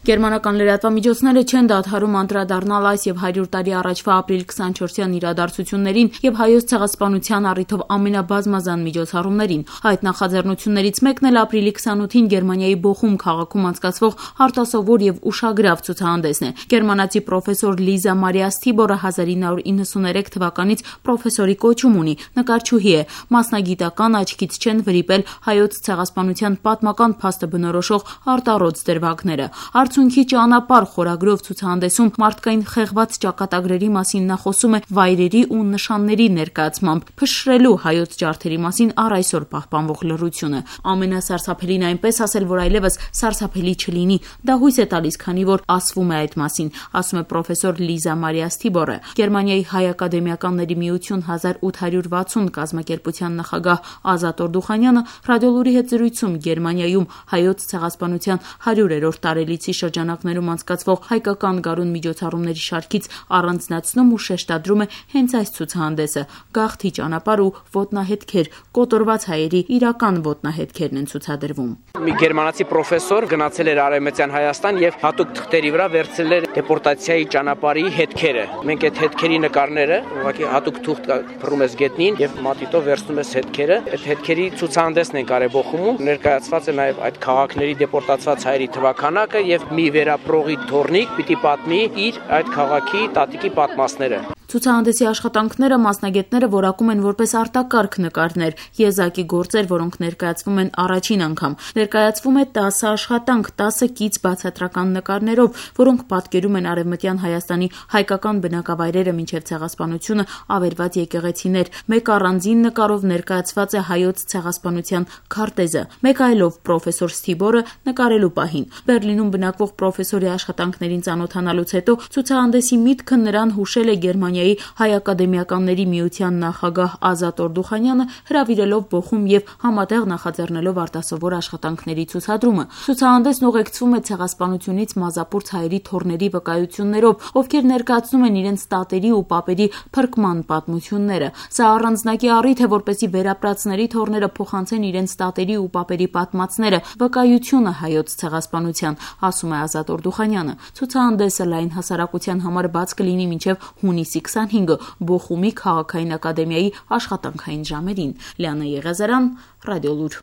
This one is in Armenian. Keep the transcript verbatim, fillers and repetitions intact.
Գերմանական լրատվամիջոցները չեն դադարում անդրադառնալ այս եւ հարյուր տարի առաջվա ապրիլի քսանչորսյան իրադարձություններին եւ հայոց ցեղասպանության առիթով ամենաբազմազան միջոցառումներին։ Այդ նախաձեռնություններից մեկն էլ ապրիլի քսանութին Գերմանիայի Բոխում քաղաքում անցկացվող արտասովոր եւ ուշագրավ ցուցահանդեսն է։ Գերմանացի պրոֆեսոր Լիզա Մարիա Սթիբորը հազար ինը հարյուր իննսուներեք թվականից պրոֆեսորի կոչում ունի, նկարչուհի է, մասնագիտական աչքից չեն վրիպել հայոց ցեղասպանության պատմական փաստը բնորոշող արտառոց դրվագները։ Արդյունքի ճանապարհ խորագրով ցուցահանդեսում մարդկային խեղված ճակատագրերի մասին նա խոսում է վայրերի ու նշանների ներկայացմամբ, փշրելու հայոց ջարդերի մասին առ այսօր պահպանվող լռությունը։ Ամենասարսափելին այնպես ասել, որ այլևս սարսափելի չլինի, դա հույս է տալիս, քանի որ ասվում է այդ մասին, ասում է պրոֆեսոր Լիզա Մարիա Սթիբորը։ Գերմանիայի հայ ակադեմիականների միություն հազար ութ հարյուր վաթսուն կազմակերպության նախագահ Ազատ Օրդուխանյանը ռադիոլուրի հետ զրույցում Գերմանիայում հայոց ցեղասպանության հարյուրերորդ տարելիցի շրջանակներում անցկացվող հայկական գարուն միջոցառումների շարքից առանձնացնում ու շեշտադրում է հենց այս ցուցահանդեսը՝ գաղթի ճանապարհ ու ոտնահետքեր, կոտորված հայերի իրական ոտնահետքերն են ցուցադրվում։ Մի գերմանացի պրոֆեսոր գնացել էր Արևմտյան Հայաստան եւ հատուկ թղթերի վրա վերցրել էր դեպորտացիայի ճանապարհի հետքերը։ Մենք այդ հետքերի նկարները ուղղակի հատուկ թուղթ փռում ես գետնին եւ մատիտով վերցնում ես հետքերը։ Այդ հետքերի ցուցահանդեսն են կարել Բոխումում, ներկայացված է նաեւ այդ քաղաքների դեպորտացված հայերի թվաքանակը եւ մի վերապրողի թորնիկ պիտի պատմի իր այդ քաղաքի տատիկի պատմածները։ Ցուցահանդեսի աշխատանքները մասնագետները որակում են որպես արտակարգ նկարներ, եզակի գործեր, որոնք ներկայացվում են առաջին անգամ։ Ներկայացվում է տասը աշխատանք, տասը կից բացատրական նկարներով, որոնք պատկերում են Արևմտյան Հայաստանի հայկական բնակավայրերը մինչև ցեղասպանությունը ավերված եկեղեցիներ։ Մեկ առանձին նկարով ներկայացված է հայոց ցեղասպանության քարտեզը, մեկ այլով պրոֆեսոր Սթիբորը նկարելու պահին։ Բերլինում բնակվող պրոֆեսորի աշխատանքներին ծանոթանալուց հետո ցուցահանդեսի միտքը նրան հուշել է Գերմանիայի Հայ ակադեմիականների միության նախագահ Ազատ Օրդուխանյանը, հրավիրելով Բոխում եւ համատեղ նախաձեռնելով արտասովոր աշխատանքների ցուցադրումը։ Ցուցահանդեսն ուղեկցվում է ցեղասպանությունից մազապուրց հայերի թորների վկայություններով, ովքեր ներկայացնում են իրենց տատերի ու պապերի փրկման պատմությունները։ Սա առանձնակի առիթ է, որպեսզի վերապրածների թորները փոխանցեն իրենց տատերի ու պապերի պատմածները, վկայությունը հայոց ցեղասպանության, ասում է Ազատ Օրդուխանյանը։ Ցուցահանդեսը լայն հասարակության համար բաց կլինի մինչև հունիսի քսանհինգը Բոխումի քաղաքային ակադեմիայի աշխատանքային ժամերին։ Լիանա Եղիազարյան, Ռադիոլուր։